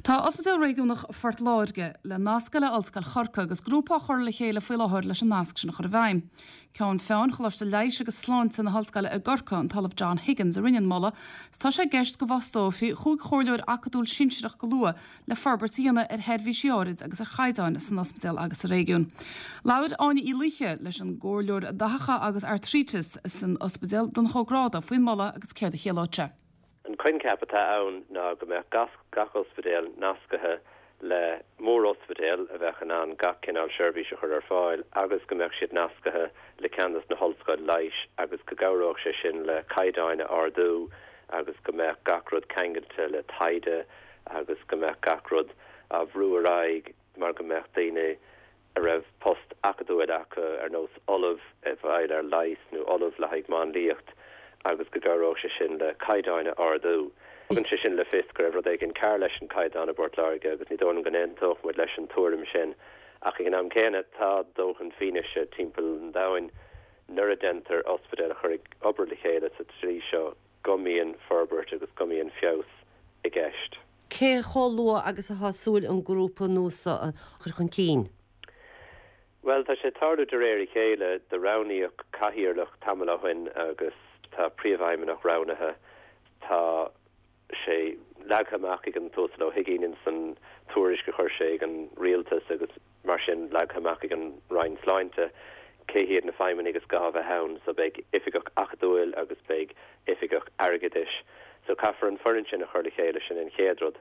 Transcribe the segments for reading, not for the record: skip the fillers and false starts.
Tá Ospidéal Réigiúnach Phort Láirge le nascadh le Ollscoil Chorcaí agus grúpa á chur le chéile faoi láthair leis an nasc sin a chur i bhfeidhm. Ceann Feadhain Choláiste Leighis agus Sláinte na hOllscoile i gCorcaigh, an tOllamh John Higgins, a rinne an moladh 's tá sé i gceist go bhfostófaí chúig chomhairleoir acadúil sinsearach go luath le forbairt a dhéanamh ar sheirbhísí áirid agus ar chaighdeáin san ospidéal agus sa réigiún. Labhair Áine Uí Laoithe leis an gcomhairleoir dathacha agus artrítis san ospidéal, Donncha Ó Gráda, faoin moladh agus céard a chiallódh sé. An coincheap atá ann ná go mbeadh gach ospidéal nascaithe le mórospidéal a bheadh in ann gach cineál seirbhís a chur ar fáil agus go mbeadh siad nascaithe le ceann des na hollscoil leighis agus go gcabhródh sé sin le caighdeáin a ardú agus go mbeadh gach rud ceangailte le taighde agus go mbeadh gach rud á bhrú ar aghaidh mar go mbeadh daoine a raibh post acadúil acu, ar nós ollamh a fháil ar leigheas nó ollamh le haghaidh máinliacht agus go gcabhródh sé sin le caighdeáin a ardú. Tugann sé sin le fios go raibh rud éigin cearr leis an caighdeán i bPort Láirge agus ní dóigh liom go n-aontódh muid leis an tuairim sin. Ach ag an am céanna tá dóthain fianaise timpeall an domhain nuair a deintear ospidéil a chur ag obair le chéile sa tslí seo go mbíonn forbairt agus go mbíonn feabhas i gceist. Cé chomh luath agus atá súil an grúpa nua seo a chur chun cinn? Bhuel, tá sé ag tarlú de réir a chéile. Do roghnaíodh cathaoirleach tamall ó shin agus tá príomhfheidhmeannach roghnaithe. Tá sé leagtha amach ag an tUasal Ó hUigínn ins an tuairisc a chuir sé ag an Rialtas agus mar sin leagtha amach ag an Roinn Sláinte cé hiad na feidhmeannaigh is gá a bheith ann. So beidh oifigeach acadúil agus beidh oifigeach airgeadais. So caithfear an foireann sin a chur le chéile, sin an chéad rud.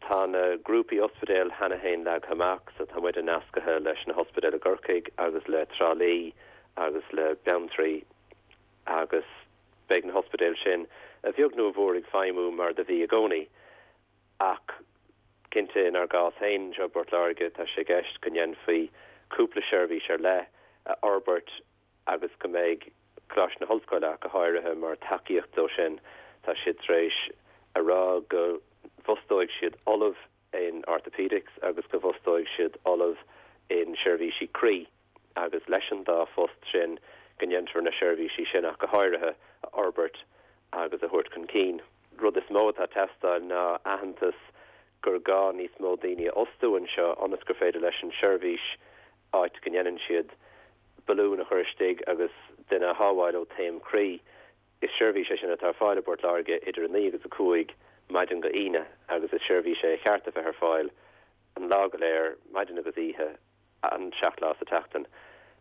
Tá na grúpaí ospidéal cheana féin leagtha amach, so tá muide nascaithe leis na hospidéil i gCorcaigh agus le Trá Lí agus le Beanntraí agus beidh na hospidéil sin, a bheag nó a mhór, ag feidhmiú mar do bhí i gcónaí. Ach cinnte, inár gcás féin anseo i bPort Láirge, tá sé i gceist go ndéanfaí cúpla seirbhís ar leith a fhorbairt agus go mbeidh Coláiste na hOllscoile ach go háirithe mar tacaíocht dó sin. Tá siad tar éis a rá go bhfostóidh siad ollamh in orthopaedics agus go bhfostóidh siad ollamh in seirbhísí croí agus leis an dá phost sin go ndéanfar na seirbhísí sin ach go háirithe a fhorbairt agus a thabhairt chun cinn. Rud is mó atá ag teastáil ná aitheantas gur gá níos mó daoine a fhostú anseo ionas gur féidir leis an seirbhís áit go ndéanann siad balún a chur istigh agus duine a shábháil ó taom croí. Is seirbhís é sin atá ar fáil i bPort Láirge idir 9 agus 5 maidin go Aoine agus is seirbhís é a cheart a bheith ar fáil an lá go léir, maidin agus oíche, an 7 lá sa tseachtain.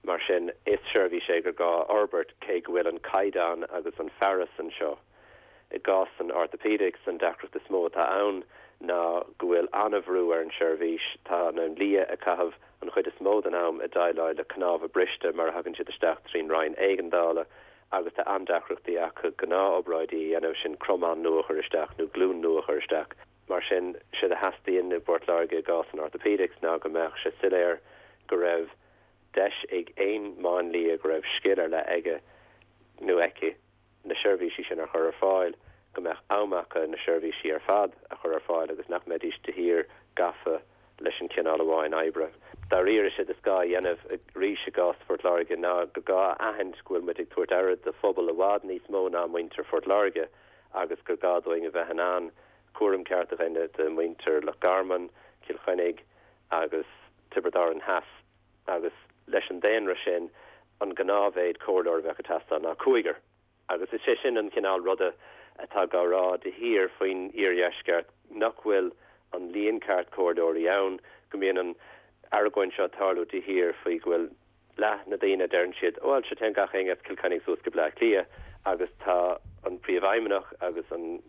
Mar sin, is seirbhís é gur gá a fhorbairt cé go bhfuil an caighdeán agus an fearas anseo. I gcás an orthopaedics, an deacracht is mó atá ann ná go bhfuil an-bhrú ar an seirbhís. Tá na lia ag caitheamh an chuid is mó den am ag déileáil le cnámha briste mar a thagann siad isteach trín roinn éigeandála agus tá an-deacrachtaí acu gnáth-obráidí a dhéanamh, sin cromán nua a chur isteach nó glúin nua a chur isteach. Mar sin, séard a theastaíonn i bPort Láirge i gcás an orthopaedics ná go mbeadh sé soiléir go raibh deis ag aon máinlia go raibh scil ar leith aige nó aici na seirbhísí sin a chur ar fáil, go mbeadh am acu na seirbhísí ar fad a chur ar fáil agus nach mbeidís de shíor gafa leis an chineál amháin oibre. Dáiríre, séard is gá a dhéanamh arís i gcás Phort Láirge ná gur gá a aithint go bhfuil muid ag tabhairt aire do phobal i bhfad níos mó ná muintir Phort Láirge agus gur gá dúinn a bheith in ann cúram ceart a dhéanamh de mhuintir Loch Garman, Cill Chainnigh agus Tiobraid Árann Theas. Agus leis an daonra sin, an gnáthmhéid comhairleoir a bheadh ag teastáil ná cúigear. Agus is é sin an cineál ruda atá á rá de shíor faoin iardheisceart, nach bhfuil an líon ceart comhairleoirí ann, go mbíonn an argóint seo ag tarlú de shíor faoi go bhfuil leath na daoine, deireann siad, bhuel, sure téann gach éinne as Cill Chainnigh suas go Bleá Cliath agus tá an Príomhfheidhmeannach agus an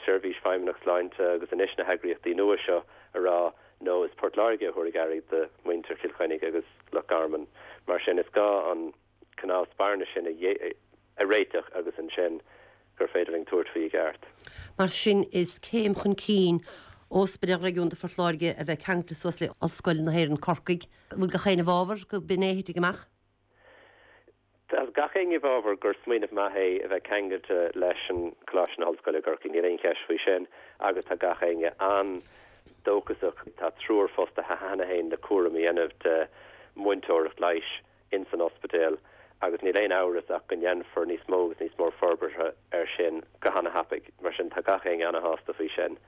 Seirbhís Feidhmeannach Sláinte agus anois na heagraíochtaí nua seo a rá no is Port Láirge a thabharfaidh aire do mhuintir Chill Chainnigh agus Loch Garman. Mar sin is gá an cineál spairne sin a réiteach agus ansin gur féidir linn tabhairt faoi i gceart. Mar sin is céim chun cinn Ospidéal Réigiúnda Phort Láirge a bheith ceangailte suas le Ollscoil na hÉireann Corcaigh. An bhfuil gach éinne i bhfabhar go b'in é a thitfidh amach? Tá gach éinne i bhfabhar gur smaoineamh maith é a bheith ceangailte leis an Coláiste na hOllscoile i gCorcaigh, níl aon cheist faoi sin, agus tá gach éinne an-dóchasach. Tá triúr fostaithe cheana féin le cúram a dhéanamh de mhúinteoireacht leighis ins an ospidéal agus níl aon amhras ach go ndéanfar níos mó agus níos mó forbartha air sin go hana-thapaidh. Mar sin tá gach éinne ana-shásta faoi sin.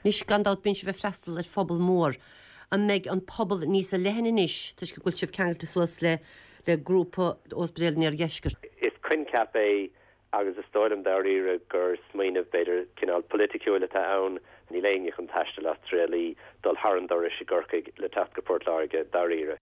Anois, gan dabht, bíonn sibh ag freastal ar phobal mór. An mbeidh an pobal níos leithne anois toisc go bhfuil sibh ceangailte suas le le grúpa Ospidéal an Iardheiscirt? Is coincheap é agus is dóigh liom dáiríre gur smaoineamh b'fhéidir cineál poiliticiúil atá ann. Níl éinne chun taisteal as Trá Lí, dul thar an dorais i gCorcaigh le teacht go Port Láirge dáiríre.